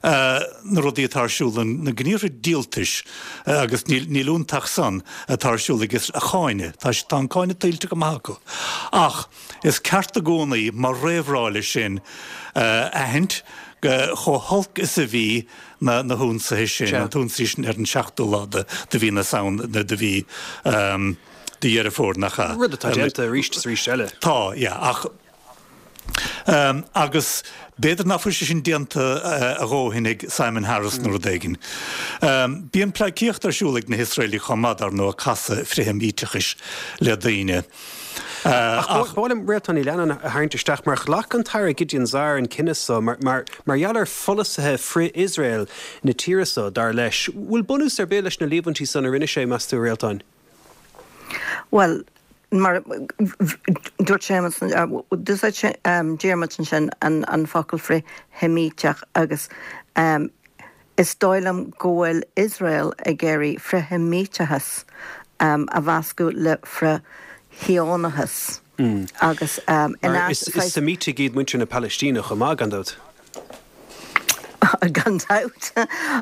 [SPEAKER 6] na rudaí atá ar siúl, na gníomhartha díoltais, agus níl iontach san, atá ar siúl ag Iosrael a cháineadh. Tá tá an cáineadh tuillte go maith acu. Ach is ceart i gcónaí, mar réamhrá leis sin, a aithint chomh holc is a bhí na na hionsaithe sin, an t-ionsaí sin ar an seachtú lá de de mhí na Samhna, de mhí de Dheireadh Fómhair, nach ea?
[SPEAKER 1] Rud atá déanta arís is arís eile.
[SPEAKER 6] Tá, yeah, ach agus b'fhéidir nach bhfuil sé sin déanta a dhóthain ag Simon Harris nó rud éigin. Bíonn pleidhcíocht ar siúl ag na hIosraelaigh chomh maith, dar ndóigh, ag casadh frith-Sheimíteachais le daoine.
[SPEAKER 1] Ach ba mhaith liom Réaltán Ní Leannáin a tharraingt isteach mar ghlac an tAire Gideon Saar an cinneadh so mar mar gheall ar pholasaithe frith-Iosrael na tíre so, dar leis. Bhfuil bunús ar bith leis na líomhaintí san a rinne sé, meas tú, a Réaltáin?
[SPEAKER 5] Bhuel, mar dúirt Séamus, d'úsáid Diarmuid ansin an focal frith-Sheimíteach agus is dóigh liom go bhfuil Iosrael ag iarraidh frith-Sheimíteachas a mheascadh le frith-Shíónachas
[SPEAKER 1] agus in
[SPEAKER 5] Mar
[SPEAKER 1] is Seimítigh iad muintir na Palaistíne chomh maith, gan dabht.
[SPEAKER 5] Gan dabht.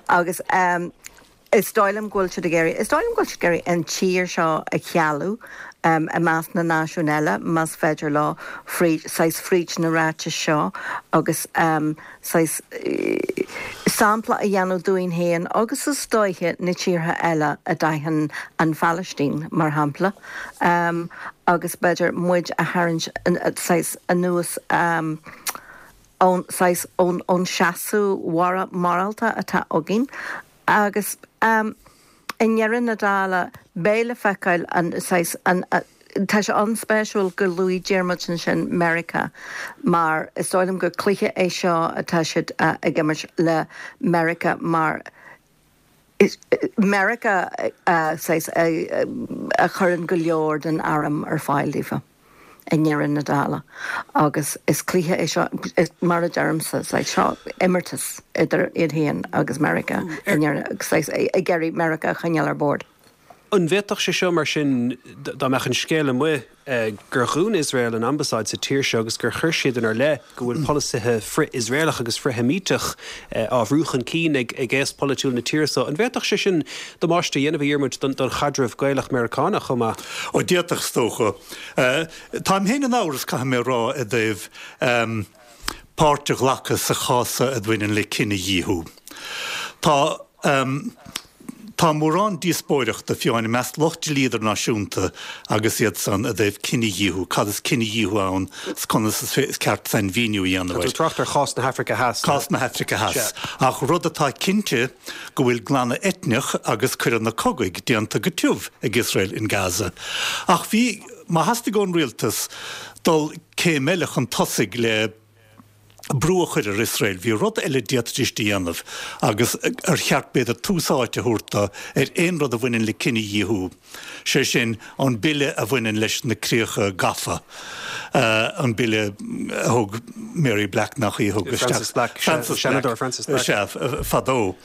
[SPEAKER 5] Agus. Is dóigh liom go bhfuil siad ag iarraidh, is dóigh liom go bhfuil siad ag iarraidh an tír seo a chealú i measc na náisiún eile, más féidir leo, fríd, saghas fríd na ráitis seo agus saghas sampla a dhéanamh dúinn féin agus is dóiche na tíortha eile a d'aithin an Phalaistín, mar shampla, agus b'fhéidir muid a tharraingt saghas anuas. ón saghas, ón, ón seasamh morálta atá againn agus i ndeireadh na dála beidh le feiceáil an saghas, an, tá sé an-spéisiúil gur luaigh Diarmuid ansin Meiriceá mar is dóigh liom gur cluiche é seo atá siad ag imirt le Meiriceá mar Meiriceá saghas a chuireann go leor den arm ar fáil daofa i ndeireadh na dála agus is cluiche é seo, mar a deirimse, saghas seo imeartas idir iad féin agus Meiriceá i ndeireadh, saghas ag iarraidh Meiriceá a choinneáil ar bord.
[SPEAKER 1] An bhféadfadh sé seo, mar sin, dá mbeadh an scéal amuigh gur dhún Iosrael an ambasáid sa tír seo agus gur chuir siad inár leith go bhfuil polasaithe frith-Iosraelach agus frith-Sheimíteach á bhrú chun cinn ag aos polaitiúil na tíre seo, an bhféadfadh sé sin damáiste a dhéanamh, a Dhiarmuid, don chaidreamh Gaelach-Meiriceánach chomh maith?
[SPEAKER 6] Ó, d'fhéadfadh, is dócha. Táim féin in amhras, caithfidh mé a rá, i dtaobh páirt a ghlacadh sa chás seo a bhaineann le cinedhíothú. Tá. Tá mórán díospóireachta, fiú amháin i measc lucht dlí idirnáisiúnta agus iad san i dtaobh cinedhíothú, cad is cinedhíothú ann 's conas is ceart sainmhíniú a dhéanamh
[SPEAKER 1] air. Tá tú ag trácht ar chás na hAfraice Theas.
[SPEAKER 6] Cás na hAfraice Theas. Ach rud atá cinnte go bhfuil glanadh eitneach agus coireanna cogaidh déanta go tiubh ag Iosrael in Gaza. Ach bhí, má theastaigh ón rialtas dul céim eile chun tosaigh le. brú a chur ar Iosrael. Bhí rud eile a d'fhéadfaidís a dhéanamh agus ar cheart b'fhéidir tús áite a thabhairt do ar aon rud a bhaineann le cinedhíothú, sé sin an bille a bhaineann leis na críocha gafa, an bille a thug Mary Black, nach í a thug
[SPEAKER 1] isteach? Frances Black,
[SPEAKER 6] Frances
[SPEAKER 1] Seanadóir Frances
[SPEAKER 6] Black. Sea, fadó.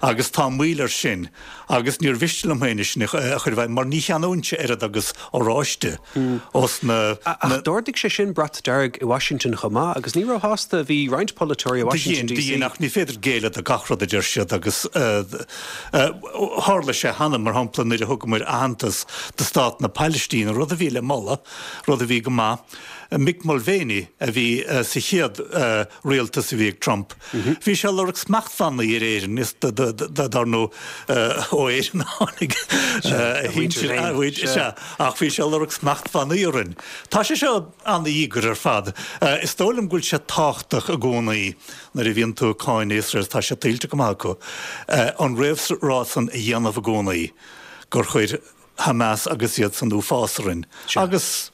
[SPEAKER 6] Agus tá moill air sin. Agus níor mhiste liom féin é sin a chur i bhfeidhm mar ní cheannóinnse oiread agus oráiste os
[SPEAKER 1] na. Ach d'ardaigh sé sin brat dearg i Washington chomh maith agus ní róshásta a bhí roinnt polaiteoirí i Washington
[SPEAKER 6] DC. Do dhein, ach ní féidir géilleadh do gach rud a deir siad agus tharla sé cheana, mar shampla nuair a thugamar aitheantas do stát na Palaistíne, rud a bhí le moladh, rud a bhí go maith. Mick Mulvaney a bhí sa chéad rialtas a bhí ag Trump. Bhí sé ag lorg smachtbhannaí ar Éirinn, is dar ndóigh ó Éirinn a tháinig a shinsir, a mhuintir, sea, ach bhí sé ag lorg smachtbhannaí orainn. Tá sé seo an-íogair ar fad. Is dóigh liom go bhfuil sé tábhachtach i gcónaí nuair a bhíonn tú ag cáineadh Iosrael, tá sé tuillte go maith acu, an réamhrá san a dhéanamh i gcónaí gur chuir Hamas agus iad san uafás orainn. Agus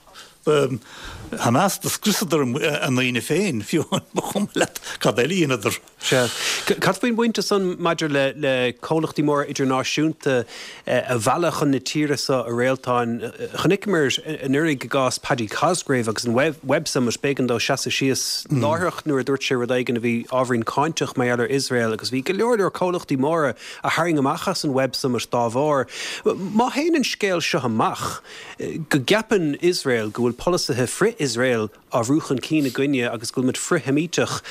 [SPEAKER 6] Hamas, do scriosadar a ndaoine féin, fiú amháin, ba chuma leat cad eile a dheineadar.
[SPEAKER 1] Sea. Cad faoin bpointe san maidir le le comhlachtaí móra idirnáisiúnta a mhealladh chun na tíre seo, a Réaltáin? Chonaiceamar anuraidh i gcás Paddy Cosgrave agus an Web Summit, b'éigean dó seasamh síos láithreach nuair a dúirt sé rud éigin a bhí ábhairín cáinteach mar gheall ar Iosrael agus bhí go leor leor comhlachtaí móra a tharraing amach as an Web Summit dá bharr. Má théann an scéal seo amach, go gceapann Iosrael go bhfuil. bhfuil polasaithe frith-Iosrael á bhrú chun cinn againne agus go bhfuil muid frith-Sheimíteach.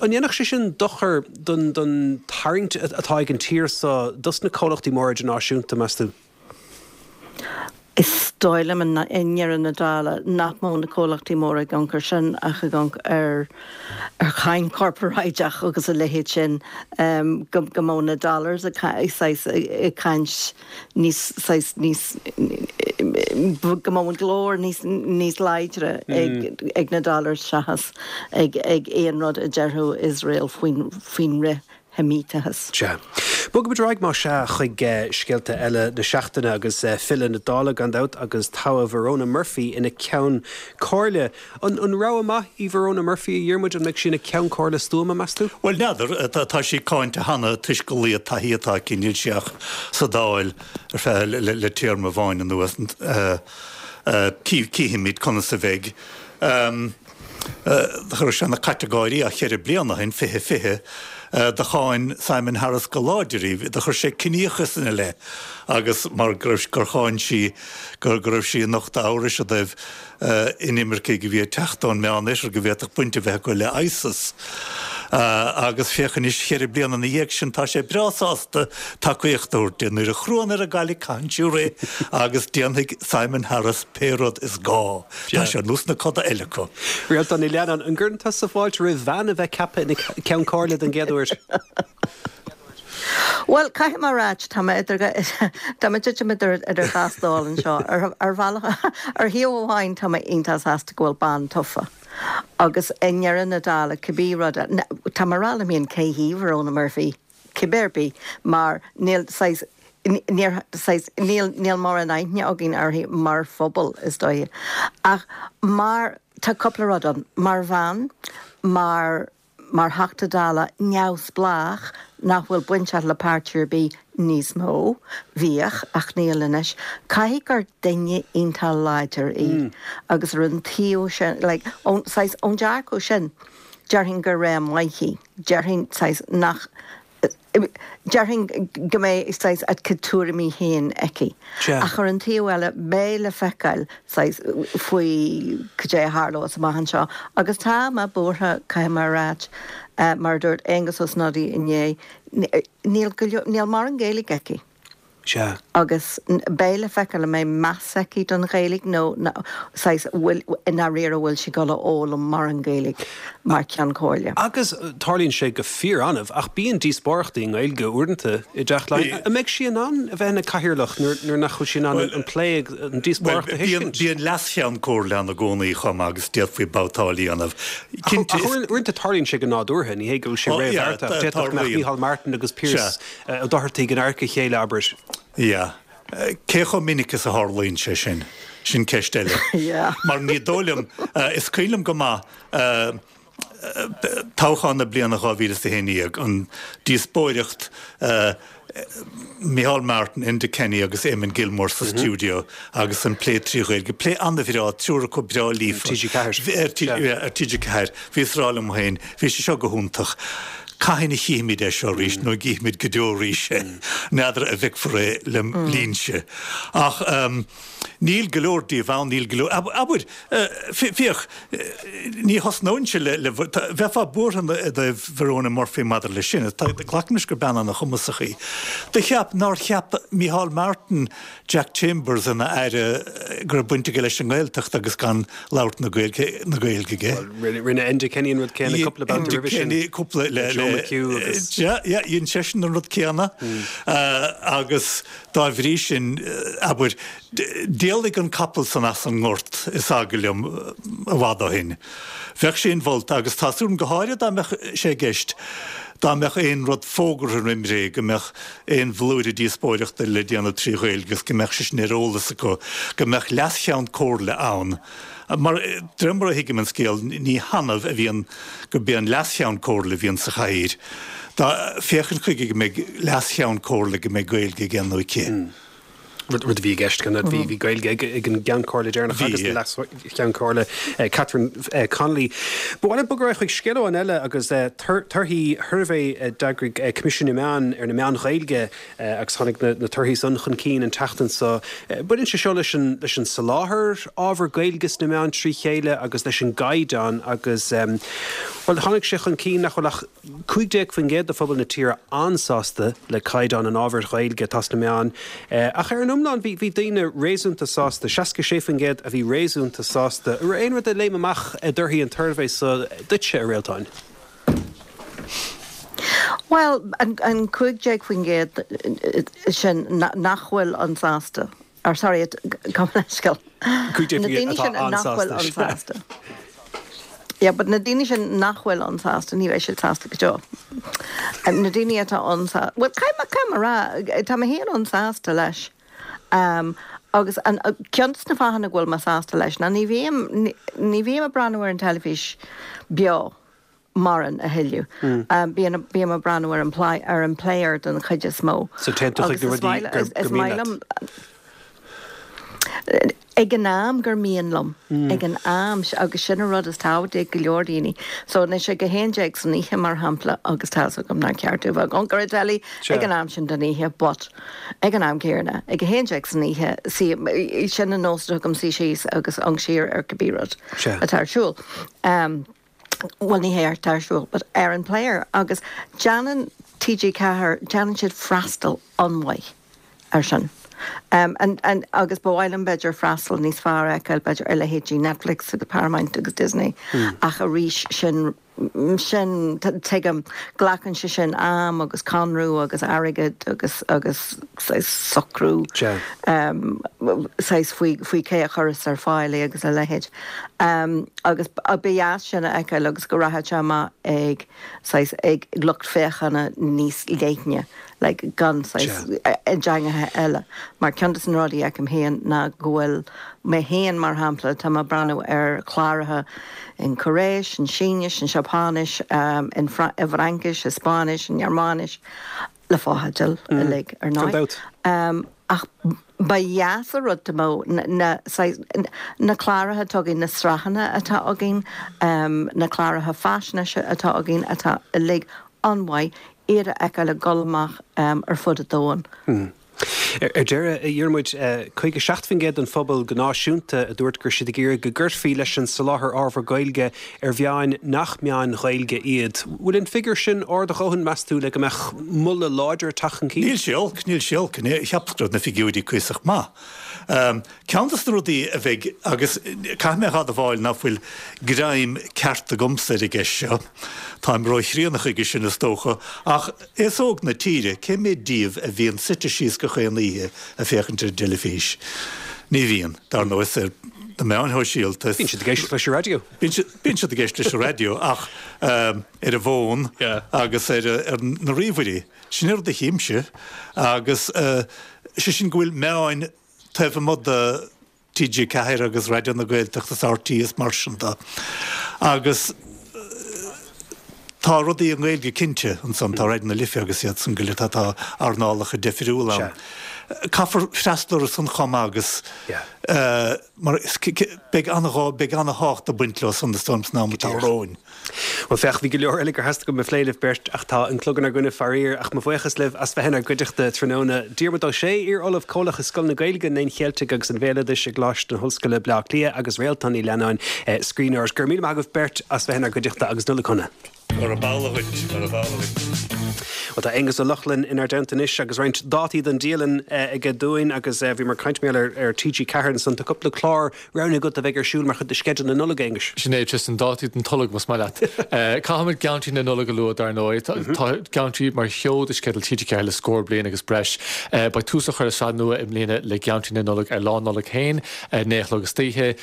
[SPEAKER 1] An ndéanfadh sé sin dochar don tarraingt atá ag an tír seo dos na comhlachtaí móra idirnáisiúnta, meas tú?
[SPEAKER 5] Is dóigh liom i ndeireadh na dála nach mbeadh na comhlachtaí móra ag amharc air sin ach ag amharc ar cháin chorparáideach agus a leithéid sin, go mbeadh na dollars ag saghas ag caint níos saghas níos go mbeadh an glór níos níos láidre ag ag na dollars seachas ag ag aon rud a déarfadh Iosrael faoin faoin fhrith Sheimíteachas.
[SPEAKER 1] Sea. Bogfaimid ar aghaidh, más ea, chuig scéalta eile na seachtaine agus filleadh na Dála, gan dabht, agus toghadh Verona Murphy ina Ceann Comhairle. An rogha maith í Verona Murphy, a Dhiarmuid? An mbeidh sí ina Ceann Comhairle stuama, meas tú?
[SPEAKER 6] Bhuel, n'fheadar. Tá sí cáinte cheana toisc a laghad taithí atá aici. Níl sí ach sa Dáil ar feadh le téarma amháin anuas. Cífimid conas a bheidh. Chuir sé na catagóirí ach cheithre bliana ó shin, 2020, do cháin Simon Harris go láidir í, do chuir sé ciníochas ina leith agus mar go raibh, gur cháin sí go raibh sí ag nochtadh amhrais i dtaobh inimircigh a bhí ag teacht ón Meánoirthear go bhféadfadh baint a bheith acu le ISIS. Agus féach anois, cheithre bliana ina dhiaidh sin, tá sé breá sásta tacaíocht a thabhairt di. Nuair a chruann ar an gcailligh caitheann sí rith agus déanfaidh Simon Harris pé rud is gá. Tá sé ar nós na coda eile acu.
[SPEAKER 1] Réaltán Ní Leannáin, an gcuireann tusa fáilte roimh bhean a bheith ceaptha ina Ceann Comhairle den gcéad uair?
[SPEAKER 5] Bhuel, caithfidh mé a ráit, tá mé idir, tá mé ag titim idir idir dhá stól anseo. Ar ar bhealach, ar thaobh amháin tá mé iontach sásta go bhfuil bean tofa agus i ndeireadh na dála cibé rud, tá mé ag rá liom féin cé hí Verona Murphy? cibé ar bith, mar níl saghas, níor, saghas, níl, níl mórán aithne againn uirthi mar phobal, is dóiche. Ach mar, tá cúpla rud ann, mar bhean, mar, mar Theachta Dála neamhspleách nach bhfuil bainteach le páirtí ar bith níos mó, bhíodh, ach níl anois, caithfidh gur duine iontach láidir í agus ar an taobh sin, like, ón, saghas, ón dearcadh sin, déarfainn gur rogha maith í. Déarfainn, saghas, nach, déarfainn go mbeidh, saghas, a cuid tuairimí féin aici. Ach ar an taobh eile, beidh le feiceáil, saghas, faoi cad é a tharlós amach anseo. Agus tá mé buartha, caithfidh mé a ráit, mar a dúirt Aengus Ó Snodaigh inné, níl go leor, níl mórán Gaeilge aici.
[SPEAKER 1] Sea.
[SPEAKER 5] Agus beidh le feiceáil an mbeidh meas aici don Ghaeilge nó saghas, bhfuil, i ndáiríre bhfuil sí ag dul a fhoghlaim mórán Gaeilge mar Cheann Comhairle.
[SPEAKER 1] Agus tarlaíonn sé go fíor-annamh, ach bíonn díospóireachtaí i nGaeilge uaireanta i dTeach Laighean. An mbeidh sí in ann a bheith ina cathaoirleach nuair nach bhfuil sí in ann an plé, an díospóireacht a thuiscint?
[SPEAKER 6] Bíonn leas-Cheann Comhairle ann i gcónaí chomh maith agus d'fhéadfaí babhtáil a dhéanamh.
[SPEAKER 1] Cinnte, is. Ach uaireanta tarlaíonn sé go nádúrtha, ní hé go bhfuil sé réamhbheartaithe, ach d'fhéadfadh go mbeadh Micheál Martin agus Pearse Ó Dochartaigh in adharca a chéile, abair.
[SPEAKER 6] Yeah. Cé chomh minic is a tharlaíonn sé sin? Sin ceist eile.
[SPEAKER 5] Yeah.
[SPEAKER 6] Mar ní dóigh liom, is cuimhin liom go maith toghchán na bliana 2011, an díospóireacht Micheál Martin, Enda Kenny agus Eamon Gilmore sa stiúideo agus an plé trí Ghaeilge. Plé an-bhreá, triúr acu breá líofa.
[SPEAKER 1] Ar TG4.
[SPEAKER 6] Ar TG4. Bhíos ag rá liom féin, bhí sé seo go hiontach. Cathain a chífimid é seo arís, nó an gcífimid go deo arís é? N'fheadar an bhfeicfear é lem linnse. Ach níl go leor díobh ann, níl go leor, abair, féach, ní thosnóinnse le, le, bheifeá buartha i dtaobh Verona Murphy maidir leis sin, glacaim leis gur bean ana-chumasach í. Do cheap, nár cheap Micheál Martin Jack Chambers ina aire go raibh baint aige leis an nGaeltacht agus gan labhairt na Gaeilge na Gaeilge aige.
[SPEAKER 1] Bhuel, rinne Enda Kenny an rud céanna cúpla babhta roimhe sin.
[SPEAKER 6] Enda Kenny cúpla le
[SPEAKER 1] Joe McHugh agus.
[SPEAKER 6] Yeah, yeah, dhein seisean an rud céanna agus dá bhrí sin, abair, d'éalaigh an capall san as an ngort, is eagal liom, i bhfad ó shin. Bheadh sé inmholta agus tá súil agam go háirithe dá mbeadh sé i gceist dá mbeadh aon rud fógartha roim ré go mbeadh aon bhlúire díospóireachta le déanamh trí Ghaeilge agus go mbeadh sé sin ar eolas acu, go mbeadh leas-cheann comhairle ann. Mar, de réir mar a thuigim an scéal, ní hannamh a bhíonn gurb é an leas-cheann comhairle a bhíonn sa chathaoir. Dá, féachaint chuige go mbeidh leas-cheann comhairle go mbeidh Gaeilge aige nó aici.
[SPEAKER 1] Rud a bhí i gceist gan dabht. Bhí Gaeilge ag an gCeann Comhairle deireanach agus an Leas-Cheann Comhairle Catherine Connolly. Ba mhaith liom bogadh ar aghaidh chuig scéal amháin eile agus torthaí shuirbhé a d'eagraigh Coimisiún na Meán ar na meáin Ghaeilge agus tháinig na torthaí san chun cinn an tseachtain seo. Baineann sé seo leis an leis an soláthar ábhar Gaeilge sna meáin trí chéile agus leis an gcaighdeán agus bhuel tháinig sé chun cinn nach bhfuil ach 15% de phobal na tíre an-sásta le caighdeán an ábhair Ghaeilge atá sna meáin, ach ar an iomlán bhí bhí daoine réasúnta sásta, 66% a bhí réasúnta sásta. An raibh aon rud a léim amach i dtorthaí an tsuirbhé seo duitse, a Réaltáin?
[SPEAKER 5] Bhuel, an 15% sin nach bhfuil an-sásta. Or sorry, gabh mo leithscéal. Na daoine sin nach bhfuil an-sásta. Yeah, but na daoine sin nach bhfuil an-sásta, ní bheidh siad sásta go deo. Na daoine atá an-sásta, well, caithfidh mé, caithfidh mé a rá, tá mé féin an-sásta leis. Um, agus an, ceann de na fáthanna go bhfuil mé sásta leis ná ní bhím, ní bhím ag breathnú ar an teilifís beo. mórán a thuilleadh. Bíonn, bím ag breathnú ar an ar an player den chuid is mó.
[SPEAKER 1] So téann tú chuig na rudaí gur, gur mian leat.
[SPEAKER 5] Ag an am gur mian liom. Ag an am, agus sin an rud is tábhachtaí ag go leor daoine. So anois ag a 11 san oíche mar shampla, agus tá's agam nár cheart domh bheith ag amharc ar an telly ag an am sin den oíche, but ag an am céanna, ag a 11 san oíche, sin an nós atá agam suí síos agus amharc siar ar cibé rud atá ar siúl. bhuel ní hé atá ar siúl but ar an player agus déanann TG4, déanann siad freastal an-mhaith ar sin. Um, and, and, agus ba mhaith liom b'fhéidir freastal níos fearr a fheiceáil b'fhéidir ar leithéidí Netflix agus Paramount agus Disney mm. ach arís sin sin tuigim glacann sé sin am agus conradh agus airgead agus agus saghas socrú saghas faoi faoi cé a chuireas ar fáil é agus a leithéid. Agus ba dheas sin a fheiceáil agus go rachadh sé amach ag saghas ag lucht féachana níos leithne like gan saghas i dteangacha eile. Mar ceann de na rudaí a fheicim féin ná go bhfuil mé féin mar shampla tá mé ag breathnú ar chláracha in Cóiréis, in Sínis, in Seapáinis, in i bhFraincis, i Spáinnis, i nGearmáinis, le fotheidil uilig ar ndóigh. Ach ba dheas an rud dá mbeadh na saghas, na cláracha atá againn, na sraitheanna atá againn, na cláracha faisnéise atá againn atá uilig an-mhaith, iad a fheiceáil ag dul amach ar fud an domhain.
[SPEAKER 1] Ar deireadh, a Dhiarmuid, 57% den phobal go náisiúnta a dúirt go raibh siad ag iarraidh go gcuirfí leis an soláthar ábhar Gaeilge ar mheáin nach meáin Ghaeilge iad. Bhfuil an figiúr sin ard a dhóthain, meas tú, le go mbeadh moladh láidir ag teacht chun cinn?
[SPEAKER 6] Níl sé olc, níl sé olc. Cheapas go raibh na figiúirí cuíosach maith. Ceann de na rudaí a bheidh, agus caithfidh mé a admháil ná fuil greim ceart agamsa ar an gceist seo, táim róchríonna chuige sin is dócha, ach Aos óg na tíre, cé mhéad díobh a bhíonn suite síos gach aon oíche ag féachaint ar an dteilifís? Ní bhíonn. Dar ndóigh, is ar na meáin shóisialta.
[SPEAKER 1] Bíonn siad ag éisteacht leis an raidió.
[SPEAKER 6] Bíonn siad ag éisteacht leis an raidió ach ar an bhfón agus ar na ríomhairí. Sin an rud a chímse agus sé sin go bhfuil meáin taobh amuigh de TG4 agus Raidió na Gaeltachta is RTÉ is mar sin de. Agus tá rudaí i nGaeilge cinnte ansan, tá Raidió na Life agus iad san go léir, tá tá earnálacha deifriúla ann. Caithfear freastal orthu san chomh maith agus mar beidh an-ghá, beidh an-thábhacht ag baint leo san is dóigh liom san am atá romhainn.
[SPEAKER 1] Bhuel, féach, bhí go leor eile gur theastaigh uaim a phlé libh beirt ach tá an clog inár gcoinne faraor. Ach mo bhuíochas libh as bheith inár gcuideachta tráthnóna. Diarmuid Ó Sé, iar-Ollamh Comhlach i Scoil na Gaeilge, an Léinn Cheiltigh agus an Bhéaloidis i gColáiste na hOllscoile, Bleá Cliath agus Réaltán Ní Leannáin, scríbhneoir. Go raibh míle maith agaibh beirt as bheith inár gcuideachta agus Nollaig Shona.
[SPEAKER 6] Gurab amhlaidh dhuit, gurab amhlaidh
[SPEAKER 1] dhuit. Bhuel, tá Aonghus Ó Lochlainn inár dteannta anois agus roinnt dátaí don dialann aige dúinn agus bhíomar ag caint mar gheall ar TG4 ansan. Tá cúpla clár roghnaithe agat a bheidh ar siúl mar chuid de sceideal na Nollag, a Aonghuis.
[SPEAKER 7] Sin é, Tristan, dátaí don tolg, más maith leat. Caithfimid Geantraí na Nollag a lua, dar ndóigh. Tá Geantraí mar sheoid i sceideal TG4 le scór bliain agus breis. Beidh tús á chur le sraith nua i mbliana le Geantraí na Nollag ar Lá Nollag féin, 9 a chlog istoíche.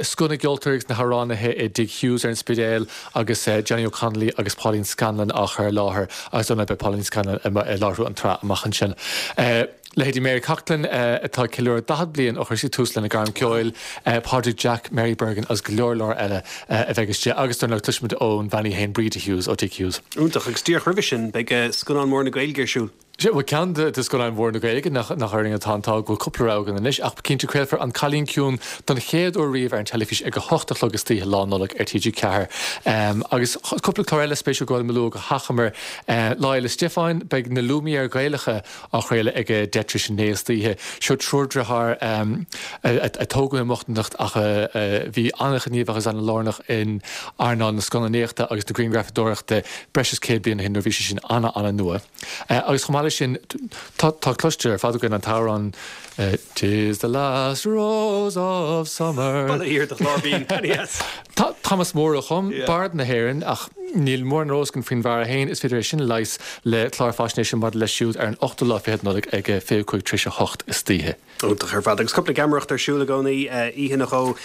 [SPEAKER 7] Scoth na gceoltóirí agus na hamhránaithe i dTigh Hughes ar an Spidéal agus Johnny O'Connolly agus Pauline Scanlon á chur i láthair agus dar ndóigh beidh Pauline Scanlon ag láithriú an tsraith amach ansin. Leithéidí Mary Coughlan, atá ag ceiliúradh 40 bliain ó chuir sí tús lena gairm ceoil, Pádraig Jack, Mary Bergin agus go leor leor eile a bheidh istigh. Agus dar ndóigh cloisfimid ón bhean í féin, Breda Hughes ó Tigh Hughes.
[SPEAKER 1] Iontach. Agus díreach roimhe sin, beidh scannán mór na Gaeilge ar siúl.
[SPEAKER 7] Sea, bhuel, ceann de scannáin mhóra na Gaeilge, nach orainn atá an t-ádh go bhfuil cúpla rogha againn anois, ach cinnte craolfar An Cailín Ciúin don chéad uair riamh ar an teilifís ag 8 a chlog istoíche Lá Nollag ar TG4. Agus cúpla clár eile spéisiúil gur mhaith liom a lua go hachomair. Lá Fhéile Stiofáin, beidh Na Lumière Gaelacha á chraoladh ag a 9:10 istoíche. Seo triúr deartháir a tógadh i mbochtaineacht ach a bhí an-ghníomhach agus an-lárnach in earnáil na scannánaíochta agus na grianghrafadóireachta breis is 100 bliain ó shin nuair a bhí sé sin ana-ana-nua. Agus chomh maith leis sin, tá cloiste ar fad againn an t-amhrán 'Tis the last rose of summer.
[SPEAKER 1] Bail ó Dhia ar do chlár binn, yes.
[SPEAKER 7] Thomas Moore a chum, Bard na hÉireann, ach níl mórán ar eolas againn faoin bhfear é féin. Is féidir é sin a leigheas le clár faisnéise maidir leis siúd ar an ochtú lá fichead Nollaig ag 8:25 istoíche.
[SPEAKER 1] Iontach ar fad. Agus cúpla geamaireacht ar siúl i gcónaí, oíche nó dhó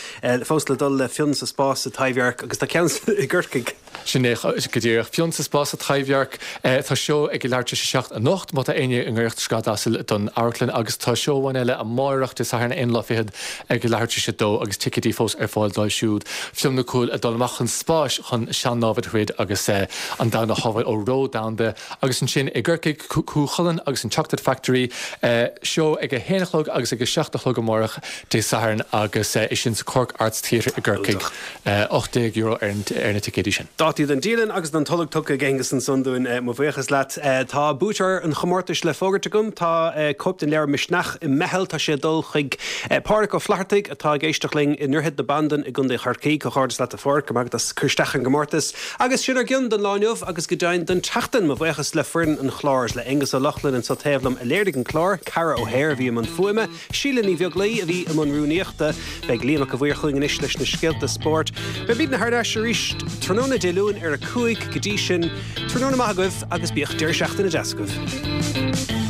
[SPEAKER 1] fós le dul le Fionn sa Spás sa Taibhdhearc agus tá ceann i gCorcaigh.
[SPEAKER 7] Sin é go díreach. Fionn sa Spás sa Taibhdhearc. Tá seó ag a leathuair tar éis a 7 anocht, má tá éinne i ngiorracht Scread Asail don amharclann, agus tá seó amháin eile amáireach, Dé Sathairn an aonú lá fichead ag a leathuair tar éis a dó agus ticéidí fós ar fáil dóibh siúd. Fionn Mac Cumhaill ag dul amach chun spáis chun sean-námhaid a throid agus an domhan a shábháil ó reo domhanda. Agus ansin i gCorcaigh, Cú Chulainn agus an Chocolate Factory, seó ag a haon a chlog agus ag a seacht a chlog amárach, Dé Sathairn, agus é sin sa Cork Arts Theatre i gCorcaigh. €18 ar na ticéidí sin.
[SPEAKER 1] Dátaí don dialann agus don tolg tugtha ag Aengus ansan dúinn. Mo bhuíochas leat. Tá buaiteoir an chomórtais le fógairt agam. Tá cóip den leabhar Misneach i mBeithil. Tá sé ag dul chuig Pádraic Ó Flathartaigh atá ag éisteacht linn i nDroichead na Bandan i gContae Chorcaí. Comhghairdeas leat a Phádraic, go maith agat as cur isteach ar an gcomórtas. Agus sin ár gcion don lá inniu agus go deimhin don tseachtain. Mo bhuíochas le foireann an chláir is le Aengus Ó Lochlainn anseo taobh liom a léirigh an clár, Ceara O'Hare a bhí i mbun fuaime, Síle Ní Bheaglaoi a bhí i mbun rúnaíochta. Beidh Liam Mac a' Mhaoir chugainn anois leis na scéalta spóirt. Beimidne thar n-ais arís tráthnóna Dé Luain ar a 5 Go dtí sin, tráthnóna maith agaibh agus bíodh deireadh seachtaine deas agaibh.